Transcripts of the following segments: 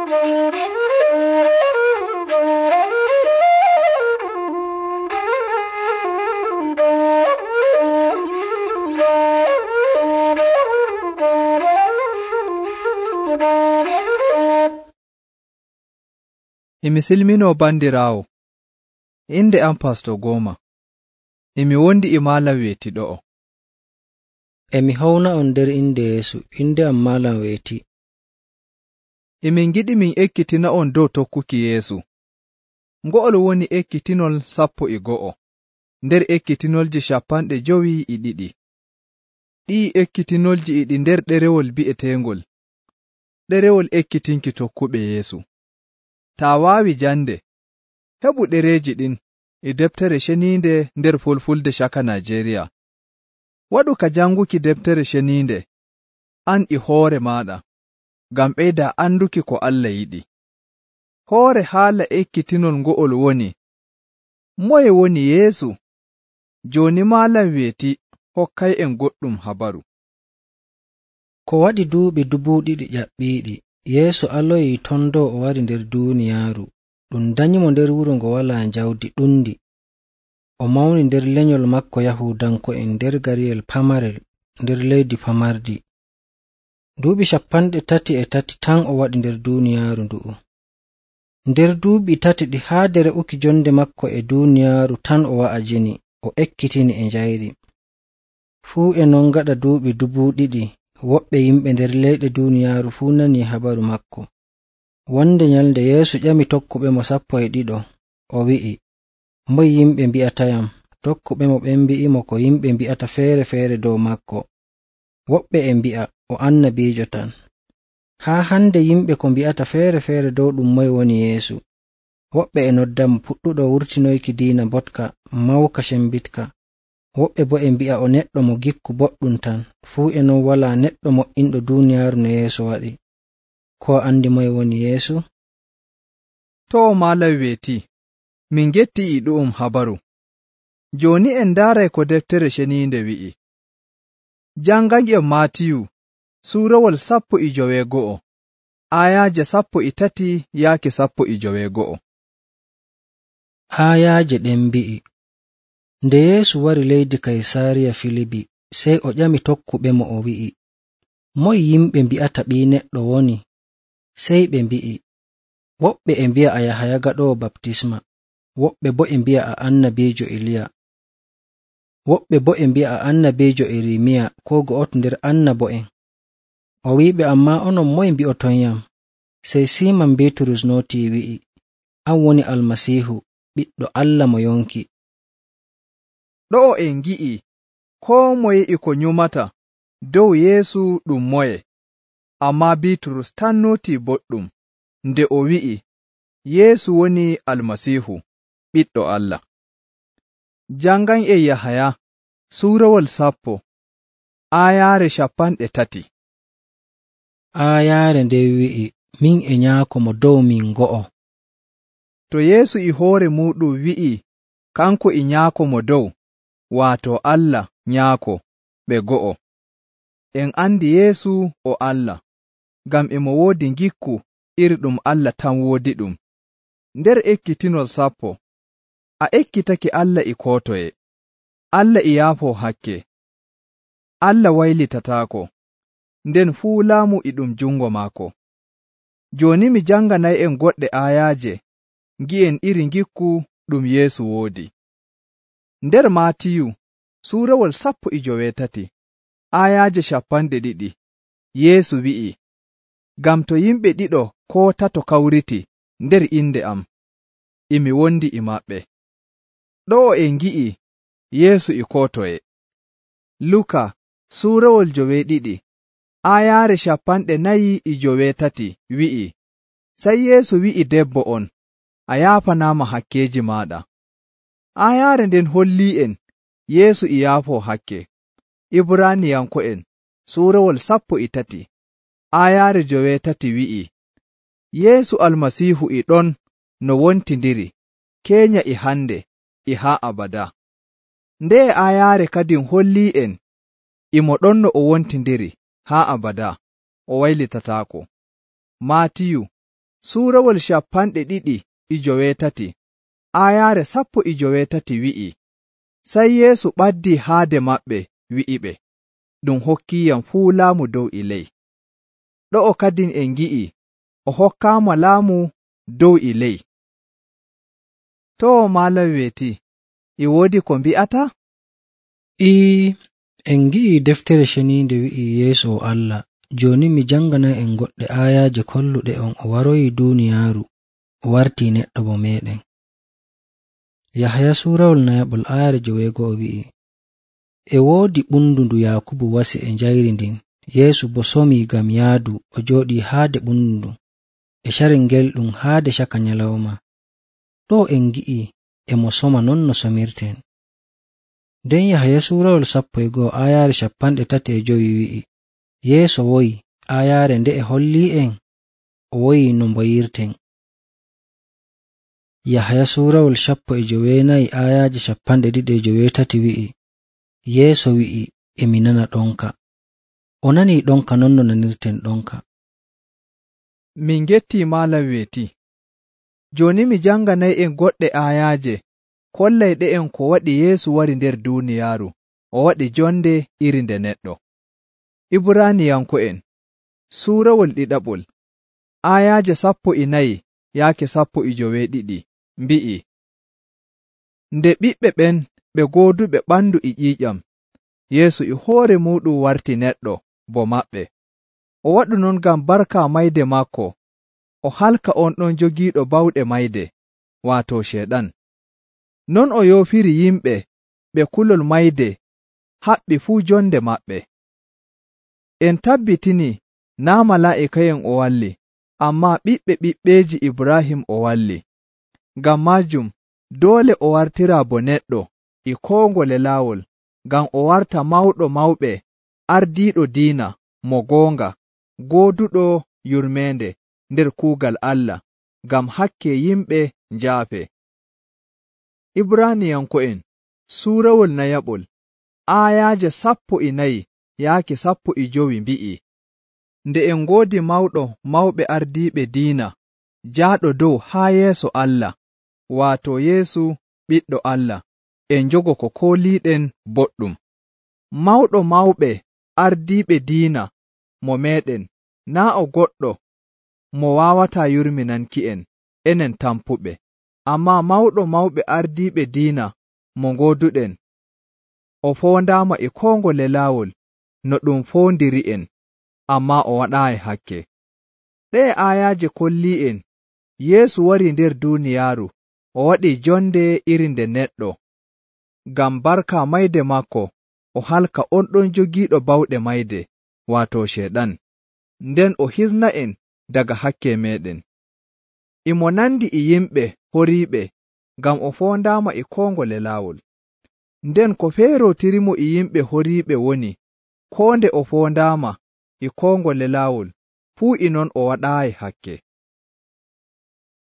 Emi silminoo bandiraawo, inde am Pastor Goma. Emi wondi e Maalam Weeti ɗo'o. Emi hawna on nder inde Yeesu, inde am Maalam Weeti. Emin giɗi min ekkitina on dow tokkuki Yeesu. Ngo'ol woni ekkitinol 12 nder ekkitinolji 52. Ɗii ekkitinolji e ɗi nder ɗerewol bi'eteengol ɗerewol ekkitinki tokkuɓe Yeesu. Taa waawi jande, heɓu ɗereeji ɗin e deftere ceniinde nder Fulfulde Caka Najeriya. Waɗu ka janguki deftere ceniinde an e hoore maaɗa, ngam ɓeyda anduki ko Allah yiɗi. Hoore haala ekkitinol ngo'ol woni: moye woni Yeesu? Jooni Maalam Weeti hokkay'en goɗɗum habaru. Ko waɗi duuɓi 2000 ƴaɓɓiiɗi, Yeesu aloyii ton dow o wari nder duuniyaaru. Ɗum danyimo nder wuro ngo walaa njawdi ɗundi. O mawni nder lenyol makko Yahuudanko'en nder gariyel pamarel nder leydi pamardi. Duuɓi 33 tan o waɗi nder duuniyaaru ndu'u. Nder duuɓi 3 ɗi haade re'uki jonde makko e duuniyaaru tan o wa'ajini, o ekkitini e njayri. Fuu e non gaɗa duuɓi 2000, woɓɓe yimɓe nder leyɗe duuniyaaru fuu nani habaru makko. Wonde nyalnde Yeesu ƴami tokkuɓe mo 12, o wi'i, moye yimɓe mbi'atayam? Tokkuɓe mo ɓen mbi'imo ko yimɓe mbi'ata feere-feere dow makko. Woɓɓe e mbi'a o annabiijo tan. Haa hande yimɓe ko mbi'ata feere-feere dow ɗum moye woni Yeesu. Woɓɓe e noddamo puɗɗuɗo wurtinoyki diina botka mawka cembitka. Woɓɓe bo e mbi'a o neɗɗo mo gikku boɗɗum tan. Fuu e non walaa neɗɗo mo'inɗo duuniyaaru no Yeesu waɗi. Ko andi moye woni Yeesu? To Maalam Weeti, min getti e ɗu'um habaru. Jooni en ndaaray ko deftere ceniinde wi'i. Janganƴen Maatiyu suurawol 19 aayaaje 13 yaaki 19. Aayaaje ɗen mbi'i: Nde Yeesu wari leydi Kaysaariya Filibi, sey o ƴami tokkuɓe mo o wi'i, moye yimɓe mbi'ata Ɓii Neɗɗo woni? Sey ɓe mbi'i, woɓɓe e mbi'a a Yahaya gaɗoowo baptisma, woɓɓe bo e mbi'a a annabiijo Iliya, woɓɓe bo e mbi'a a annabiijo Irimiya koo go'oto nder annabo'en. O wi'iɓe, ammaa onon moye mbi'otonyam? Sey Siiman Biiturus nootii wi'i, an woni Almasiihu, ɓiɗɗo Allah mo yonki. Ɗo'o en ngi'i koo moye e ko nyumata dow Yeesu ɗum moye, ammaa Biiturus tan nootii boɗɗum nde o wi'i Yeesu woni Almasiihu, ɓiɗɗo Allah. Janganƴen Yahaya suurawol 10 aayaare 30. Aayaare nden wi'i, min e Nyaako mo dow min go'o. To Yeesu e hoore muuɗum wi'i kanko e Nyaako mo dow, waato Allah Nyaako, ɓe go'o. En andi Yeesu o Allah, ngam e mo woodi ngikku iri ɗum Allah tan woodi ɗum. Nder ekkitinol 10, a ekkitake Allah e koo toye. Allah e yaafoo hakke. Allah waylitataako, nden fuu laamu e ɗum jungo maako. Jooni mi janganay'en goɗɗe aayaaje ngi'en iri ngikku ɗum Yeesu woodi. Nder Maatiyu suurawol 13 aayaaje 20, Yeesu wi'i, ngam to yimɓe 2 koo 3 kawriti nder inde am, emi wondi e maɓɓe. Ɗo'o en ngi'i Yeesu e koo toye. Luka suurawol 12 aayaare 49 wi'i, sey Yeesu wi'i debbo on, a yaafanaama hakkeeji maaɗa. Aayaare nden hollii'en Yeesu e yaafoo hakke. Ibraaniyanko'en suurawol 13 aayaare 3 wi'i, Yeesu Almasiihu e ɗon no wontindiri keenya e hande e haa abada. Nde aayaare kadin hollii'en imo ɗon no o wontindiri haa abada, o waylitataako. Maatiyu Suurawol 250 aayaare 17 wi'i, sey Yeesu ɓaddii haade maɓɓe wi'iɓe, ɗum hokkiiyam fuu laamu dow e ley. Ɗo'o kadin en ngi'i o hokkaama laamu dow e ley. To maalam weeti, e woodi ko mbi'ata? En ngi'i deftere ceniinde wi'i Yeesu o Allah. Jooni mi janganan en goɗɗe aayaaje kolluɗe on o waroyi duuniyaaru o wartii neɗɗo bo meeɗen. Yahaya suurawol nayaɓol aayaare 9 wi'i, e woodi ɓundu ndu Yaakubu wasi e njayri ndin. Yeesu bo somii ngam yaadu o jooɗii haade ɓundu ndun e carel ngelɗum haade caka nyalawma. Ɗo en ngi'i e mo soma non no somirten. Nden Yahaya suurawol 11 aayaare 35 wi'i, Yeesu woyi aayaare nde e hollii en o woyi no mboyirten. Yahaya suurawol 19 aayaaje 23 wi'i, Yeesu wi'i, emi nana ɗonka. O nanii ɗonka non no nanirten ɗonka. Min gettii maalam weeti. Jooni mi janganay'en goɗɗe aayaaje kollayɗe en ko waɗi Yeesu wari nder duuniyaaru o waɗi jonde iri nde neɗɗo. Ibraaniyanko'en suurawol 2 aayaaje 14 yaake 15 mbi'i, nde ɓiɓɓe ɓen ɓe gooduɓe ɓandu e ƴiiƴam, Yeesu e hoore muuɗum warti neɗɗo bo maɓɓe. O waɗu non ngam barka mayde maako o halka on ɗon jogiiɗo bawɗe mayde, waato Ceeɗan. Non o yoofiri yimɓe ɓe kulol mayde haɓɓi fuu jonde maɓɓe. En tabbitini naa malaa'ika'en o walli, ammaa ɓiɓɓe ɓiɓɓeeji Ibraahim o walli. Ngam maajum doole o wartira bo neɗɗo e koo ngole laawol, ngam o warta mawɗo mawɓe ardiiɗo diina mo goonga, gooduɗo yurmeende nder kuugal Allah, ngam hakke yimɓe njaafe. Ibraaniyanko'en suurawol nayaɓol aayaaje 14 yaake 15 mbi'i, nde en ngoodi mawɗo mawɓe ardiiɓe diina jaaɗo dow haa yeeso Allah, waato Yeesu ɓiɗɗo Allah, en njogo ko kooliiɗen boɗɗum. Mawɗo mawɓe ardiiɓe diina mo meeɗen naa o goɗɗo mo waawataa yurminanki'en enen tampuɓe, ammaa mawɗo mawɓe ardiiɓe diina mo ngooduɗen o foondaama e koo ngole laawol no ɗum foondiri'en, ammaa o waɗaayi hakke. Ɗee aayaaje kollii'en Yeesu wari nder duuniyaaru o waɗi jonde iri nde neɗɗo, ngam barka mayde maako o halka on ɗon jogiiɗo bawɗe mayde, waato Ceeɗan, nden o hisna'en daga hakke meeɗen. Imo nandi e yimɓe horiiɓe ngam o foondaama e koo ngole laawol. Nden ko feerootirimo e yimɓe horiiɓe woni, koo nde o foondaama e koo ngole laawol, fuu e non o waɗaayi hakke.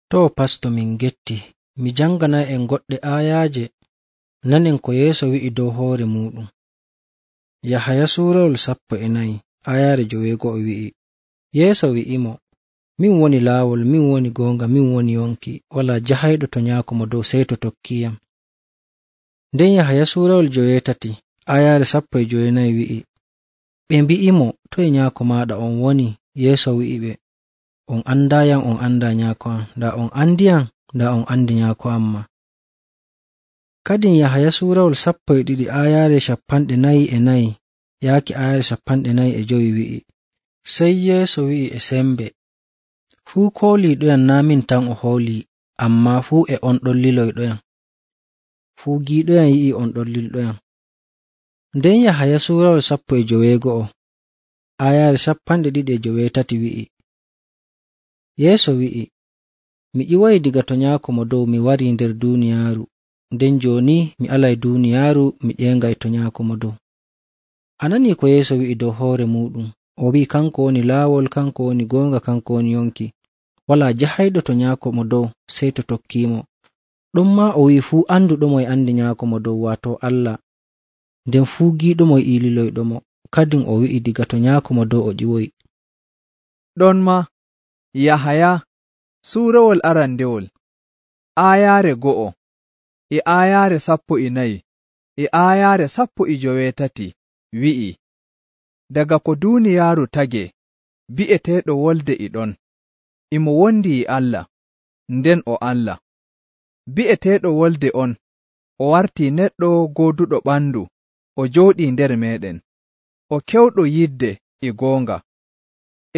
To pasto min getti, mi janganay en goɗɗe aayaaje nanen ko Yeesu wi'i dow hoore muuɗum. Yahaya suurawol 14 aayaare 9 wi'i, Yeesu wi'imo, min woni laawol, min woni goonga, min woni yonki, walaa jahayɗo to nyaako mo dow sey to tokkiyam. Nden Yahaya suurawol 13 aayaare 14 wi'i, ɓe mbi'imo, toye nyaako maaɗa on woni? Yeesu wi'iɓe, on andaayam, on andaa nyaako am, ndaa on andiyam, ndaa on andi nyaako amma. Kadin Yahaya suurawol 12 aayaare 44 yaaki aayaare 45 wi'i, sey Yeesu wi'i e sembe, fuu kooliiɗoyam naa min tan o hoolii, ammaa fuu e on ɗon liloyɗoyam. Fuu giiɗoyam yi'i on ɗon lilɗoyam. Nden Yahaya suurawol 15 aayaare 23 wi'i, Yeesu wi'i, mi ƴiwayi diga to nyaako mo dow mi warii nder duuniyaaru, nden jooni mi alay duuniyaaru mi ƴeengay to nyaako mo dow. A nanii ko Yeesu wi'i dow hoore muuɗum, o wi'i kanko woni laawol, kanko woni goonga, kanko woni yonki, walaa jahayɗo to nyaako mo dow sey to tokkiimo. Ɗonmaa o wi'i fuu anduɗomo e andi nyaako mo dow, waato Allah, nden fuu giiɗomo e liloyɗomo. Kadin o wi'i diga to nyaako mo dow o ƴiwoyi. Ɗon ma Yahaya Suurawol arandewol aayaare 1 e aayaare 14 e aayaare 13 wi'i, daga ko duuniyaaru tagee bi'eteeɗo Wolde e ɗon, imo wondi e Allah, nden o Allah. Bi'eteeɗo Wolde on o wartii neɗɗo gooduɗo ɓandu, o jooɗii nder meeɗen, o kewɗo yidde e goonga.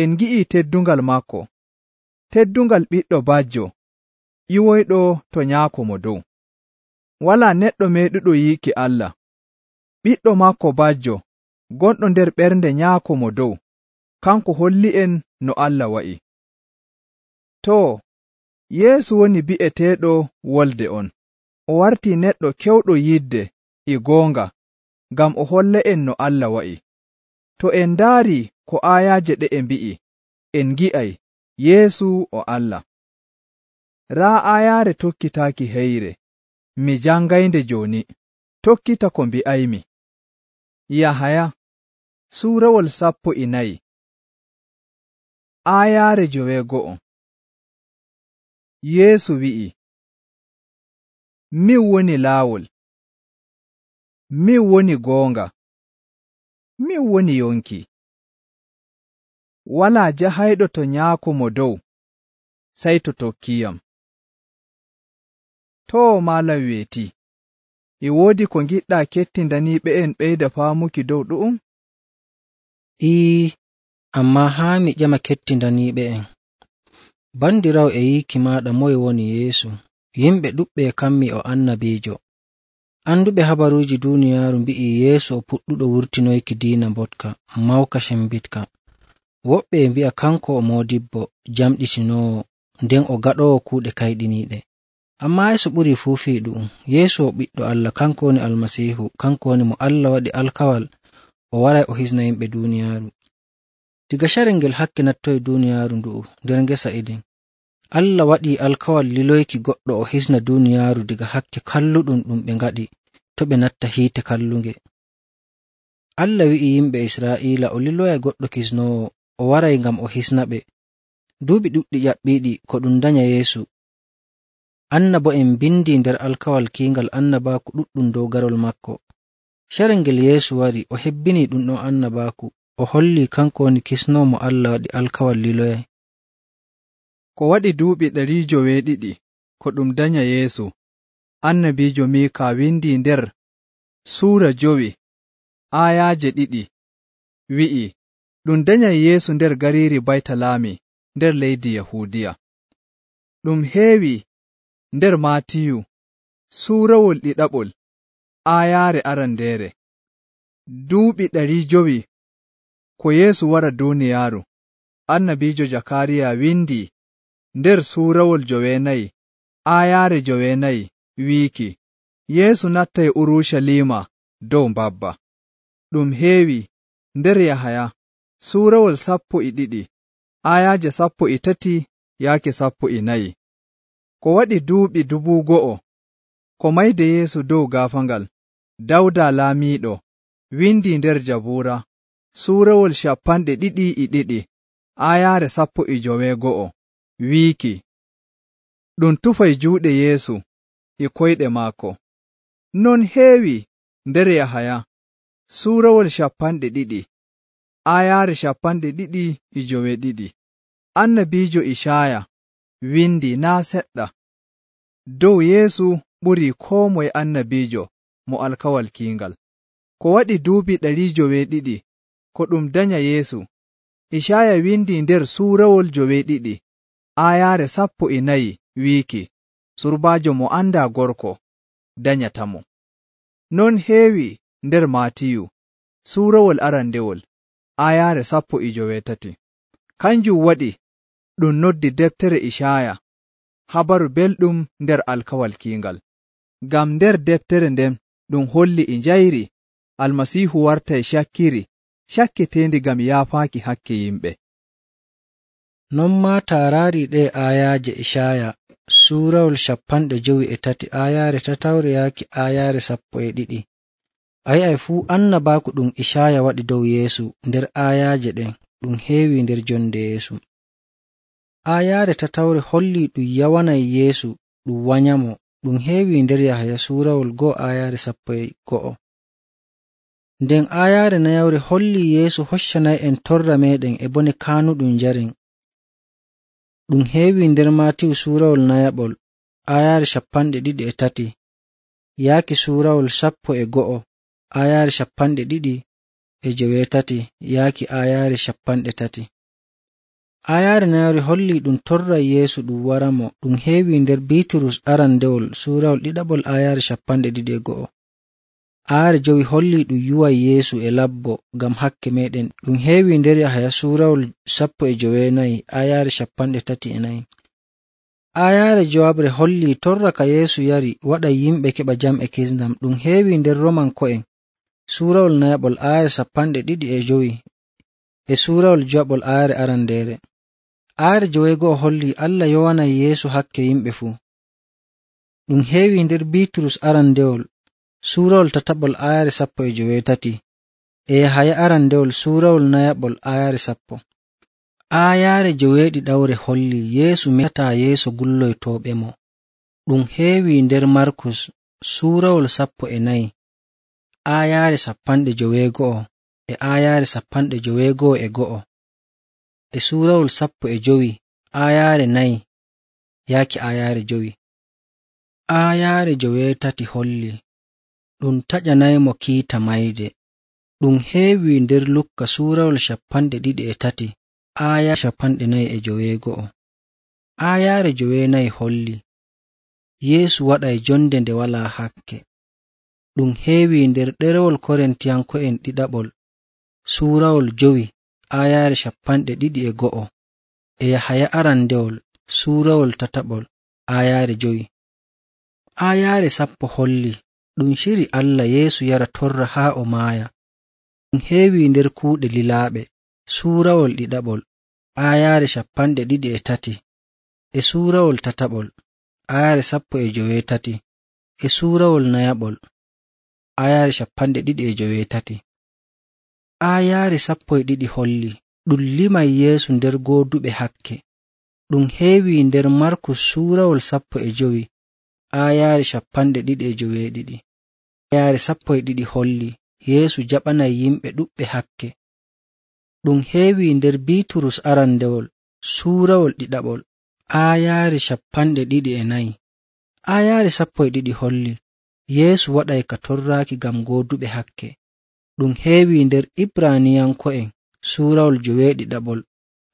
En ngi'ii teddungal maako, teddungal ɓiɗɗo bajjo ƴiwoyɗo to Nyaako Mo Dow. Walaa neɗɗo meeɗuɗo yiiki Allah. Ɓiɗɗo maako bajjo gonɗo nder ɓernde Nyaako Mo Dow, kanko holli'en no Allah wa'i. Too, Yeesu woni bi'eteeɗo Wolde on. O wartii neɗɗo kewɗo yidde e goonga ngam o holla'en no Allah wa'i. To en ndaarii ko aayaaje ɗe'e mbi'i, en ngi'ay Yeesu o Allah. Raa aayaare tokkitaaki heyre, mi jangaynde jooni, tokkita ko mbi'aymi. Yahaya suurawol 14 aayaare 9. Yeesu wi'i, min woni laawol, min woni goonga, min woni yonki. Walaa jahayɗo to Nyaako Mo Dow sey to tokkiyam. Too maalam weeti, e woodi ko ngiɗɗaa kettindaniiɓe'en ɓeyda faamuki dow ɗu'um? Ammaa haa mi ƴama kettindaniiɓe'en. Bandiraawo e yiiki maaɗa moye woni Yeesu? Yimɓe ɗuɓɓe kammi o annabiijo. Anduɓe habaruuji duuniyaaru mbi'i Yeesu o puɗɗuɗo wurtinoyki diina mbotka, mawka cembitka. Woɓɓe e mbi'a kanko o moodibbo, jamɗitinoowo, nden o gaɗoowo kuuɗe kayɗiniiɗe. Ammaa Yeesu ɓurii fuu fii ɗu'um. Yeesu o ɓiɗɗo Allah, kanko woni Almasiihu, kanko woni mo Allah waɗi alkawal o waray o hisna yimɓe duuniyaaru. Diga carel ngel hakke nattoyi duuniyaaru ndu'u nder ngesa Eden, Allah waɗii alkawal liloyki goɗɗo o hisna duuniyaaru diga hakke kalluɗum ɗum ɓe ngaɗi to ɓe natta hiite kallunge. Allah wi'i yimɓe Israa'iila o liloyay goɗɗo kisnoowo o waray ngam o hisnaɓe. Duuɓi ɗuɗɗi ƴaɓɓiiɗi ko ɗum danya Yeesu. Annabo'en bindi nder alkawal kiingal annabaaku ɗuɗɗum dow garol makko. Carel ngel Yeesu wari o hebbinii ɗum ɗon annabaaku, o hollii kanko woni kisnoowo mo Allah waɗi alkawal liloyay. Ko waɗi duuɓi 200 ko ɗum danya Yeesu, annabiijo Miika windi nder Suura 5 aayaaje 2 wi'i, ɗum danyay Yeesu nder gariiri Baytalaami nder leydi Yahuudiya. Ɗum heewi nder Maatiyu suurawol 2 aayaare 2. Duuɓi 500 ko Yeesu wara duuniyaaru, annabiijo Jakaariya windi nder suurawol 9 aayaare 9 wiiki, Yeesu nattay Urucaliima dow mbabba. Ɗum heewi nder Yahaya suurawol 12 aayaaje 13 yaake 14. Ko waɗi duuɓi 1000 ko mayde Yeesu dow gaafaangal, Dawda laamiiɗo windi nder Jabuura suurawol 22 aayaare 19 wiiki, ɗum tufay juuɗe Yeesu e koyɗe maako. Non heewi nder Yahaya suurawol 20 aayaare 22. Annabiijo Icaaya windi naa seɗɗa dow Yeesu ɓurii koo moye annabiijo mo alkawal kiingal. Ko waɗi duuɓi 200 ko ɗum danya Yeesu, Icaaya windi nder suurawol 2 aayaare 14 wiiki, surbaajo mo andaa gorko danyatamo. Non heewi nder Maatiyu suurawol 2 aayaare 13. Kanjum waɗi ɗum noddi deftere Icaaya habaru belɗum nder alkawal kiingal. Ngam nder deftere nden ɗum holli e njayri Almasiihu wartay cakkiteendi ngam yaafaaki hakke yimɓe. Non maa taaraari ɗe aayaaje Icaaya suurawol 53 aayaare 3 yaaki aayaare 12. A yi'ay fuu annabaaku ɗum Icaaya waɗi dow Yeesu nder aayaaje ɗen ɗum heewi nder jonde Yeesu. Aayaare tatawre holli ɗum yawanay Yeesu ɗum wanyamo. Ɗum heewi nder Yahaya suurawol 1 aayaare 11. Nden aayaare nayawre holli Yeesu hoccanay en torra meɗen e bone kaanuɗum njaren. Ɗum heewi nder Maatiyu suurawol 9 aayaare 23 yaaki suurawol 11 aayaare 23 yaaki aayaare 30. Aayaare nayawre holli ɗum torray Yeesu ɗum waramo. Ɗum heewi nder Biiturus arandewol suurawol 2 aayaare 21. Aayaare 5 holli ɗum yuway Yeesu e labbo ngam hakke meɗen. Ɗum heewi nder Yahaya suurawol 19 aayaare 34. Aayaare jowabre holli torra ka Yeesu yari waɗay yimɓe keɓa jam e kisndam. Ɗum heewi nder Romanko'en suurawol 9 aayaare 25 e suurawol 2 aayaare arandeere. Aayaare 9 holli Allah yowanay Yeesu hakke yimɓe fuu. Ɗum heewi nder Biiturus arandewol suurawol 3 aayaare 18 e Yahaya arandewol suurawol 9 aayaare 10. Aayaare 9 holli Yeesu metataa yeeso gulloytooɓemo. Ɗum heewi nder Markus suurawol 14 aayaare 91 e aayaare 91 e suurawol 15 aayaare 4 yaaki aayaare 5. Aayaare 9 holli ɗum taƴanaymo kiita mayde. Ɗum heewi nder Lukka suurawol 23 aayaare 49. Aayaare 9 holli Yeesu waɗay jonde nde walaa hakke. Ɗum heewi nder ɗerewol Korintiyanko'en 2 suurawol 5 aayaare 21 e Yahaya arandewol suurawol 3 aayaare 5. Aayaare 10 holli ɗum shiri Allah Yeesu yara torra haa o maaya. Ɗum heewi nder kuuɗe lilaaɓe suurawol 2 aayaare 23 e suurawol 3 aayaare 19 e suurawol 9 aayaare 23. Aayaare 12 holli ɗum limay Yeesu nder gooduɓe hakke. Ɗum heewi nder Markus suurawol 15 aayaare 22. Aayaare 12 holli Yeesu jaɓanay yimɓe ɗuɓɓe hakke. Ɗum heewi nder Biiturus arandewol suurawol 2 aayaare 24. Aayaare 12 holli Yeesu waɗay ka torraaki ngam gooduɓe hakke. Ɗum heewi nder Ibraniyanko'en suurawol 9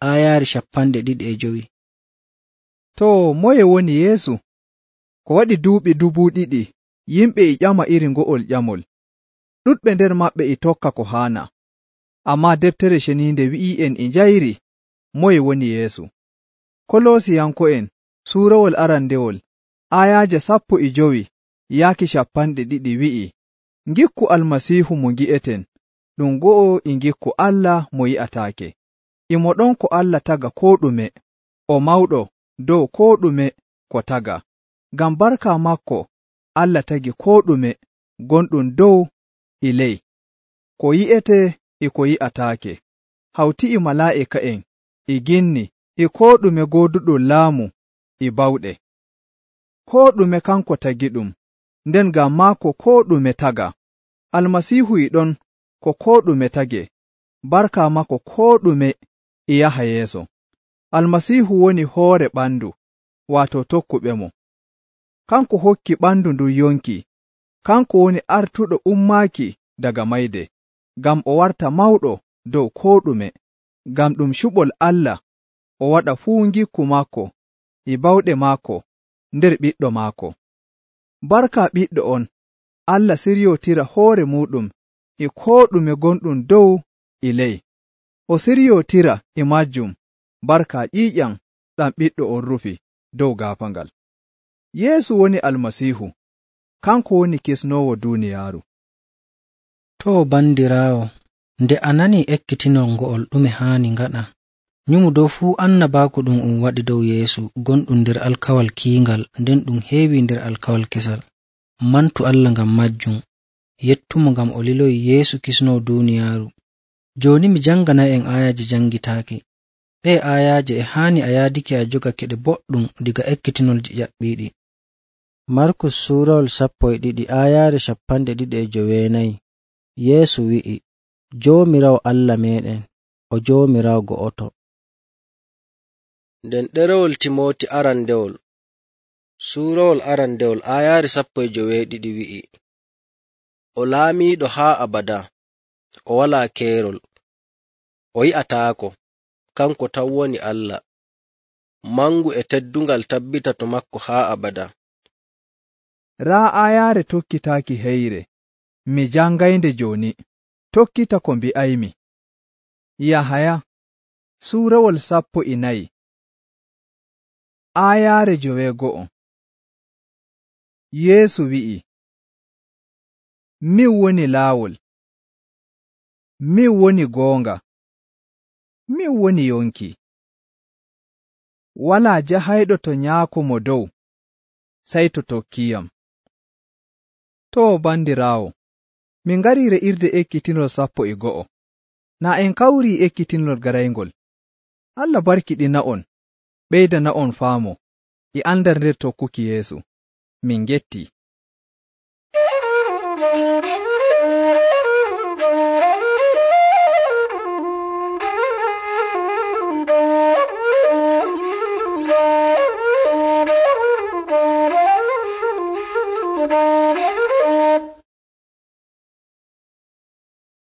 aayaare 25. To moye woni Yeesu? Ko waɗi duuɓi 2000 yimɓe e ƴama iri ngo'ol ƴamol. Ɗuɗɓe nder maɓɓe e tokka ko haana. Ammaa deftere ceniinde wi'i'en e njayri moye woni Yeesu. Kolosiyanko'en suurawol arandewol aayaaje 15 yaaki 20 wi'i, ngikku Almasiihu mo ngi'eten, ɗum go'o e ngikku Allah mo yi'ataake. Imo ɗon ko Allah taga koo ɗume, o mawɗo dow koo ɗume ko taga. Ngam barka makko Allah tagi koo ɗume gonɗum dow e ley, ko yi'ete e ko yi'ataake, hawti e malaa'ika'en e ginni e koo ɗume gooduɗum laamu e bawɗe. Koo ɗume kanko tagiɗum, nden ngam maako koo ɗume taga. Almasiihu e ɗon ko koo ɗume tage, barka makko koo ɗume e yaha yeeso. Almasiihu woni hoore ɓandu, waato tokkuɓemo. Kanko hokki ɓandu ndun yonki. Kanko woni artuɗo ummaaki daga mayde, ngam o warta mawɗo dow koo ɗume. Ngam ɗum cuɓol Allah o waɗa fuu ngikku maako e bawɗe maako nder ɓiɗɗo maako. Barka ɓiɗɗo on, Allah siryotira hoore muɗum e koo ɗume gonɗum dow e ley. O siryotira e majjum barka ƴiiƴam ɗam ɓiɗɗo on rufi dow gaafaangal. Yeesu woni Almasiihu, kanko woni kisnoowo duuniyaaru. To bandiraawo, nde a nani ekkitinol ngo'ol ɗume haani ngaɗa, nyumu dow fuu annabaaku ɗum waɗi dow Yeesu gonɗum nder alkawal kiingal, nden ɗum heewi nder alkawal kesal. Mantu Allah ngam majjum, yettumo ngam o liloyi Yeesu kisnoo duuniyaaru. Jooni mi janganay en aayaji jangitaaki. Ɗe ayaaje e haani a yaadake a jogake ɗe boɗɗum diga ekkitinolji ƴaɓɓiiɗi. Markus suurawol 12 aayaare 24. Yeesu wi'i, Joomiraawo Allah meeɗen o Joomiraawo go'oto. Nden ɗerewol Timooti arandewol suurawol arandewol aayaare 12 wi'i, o laamiiɗo haa abada, o walaa keerol, o yi'ataako, kanko tan woni Allah, mangu e teddungal tabbita to makko haa abada. Raa ayaare tokkitaaki heyre, mi jangaynde jooni, tokkita ko mbi'aymi. Yahaya suurawol 14 aayaare 9. Yeesu wi'i, min woni laawol, min woni goonga, min woni yonki. Walaa jahayɗo to Nyaako mo dow, sey to tokkiyam. To bandiraawo, min ngarii re'irde ekkitinol 11. Naa en kawrii ekkitinol garayngol. Allah barkiɗina'on, ɓeydana'on faamo e andal nder tokkuki Yeesu. Min gettii.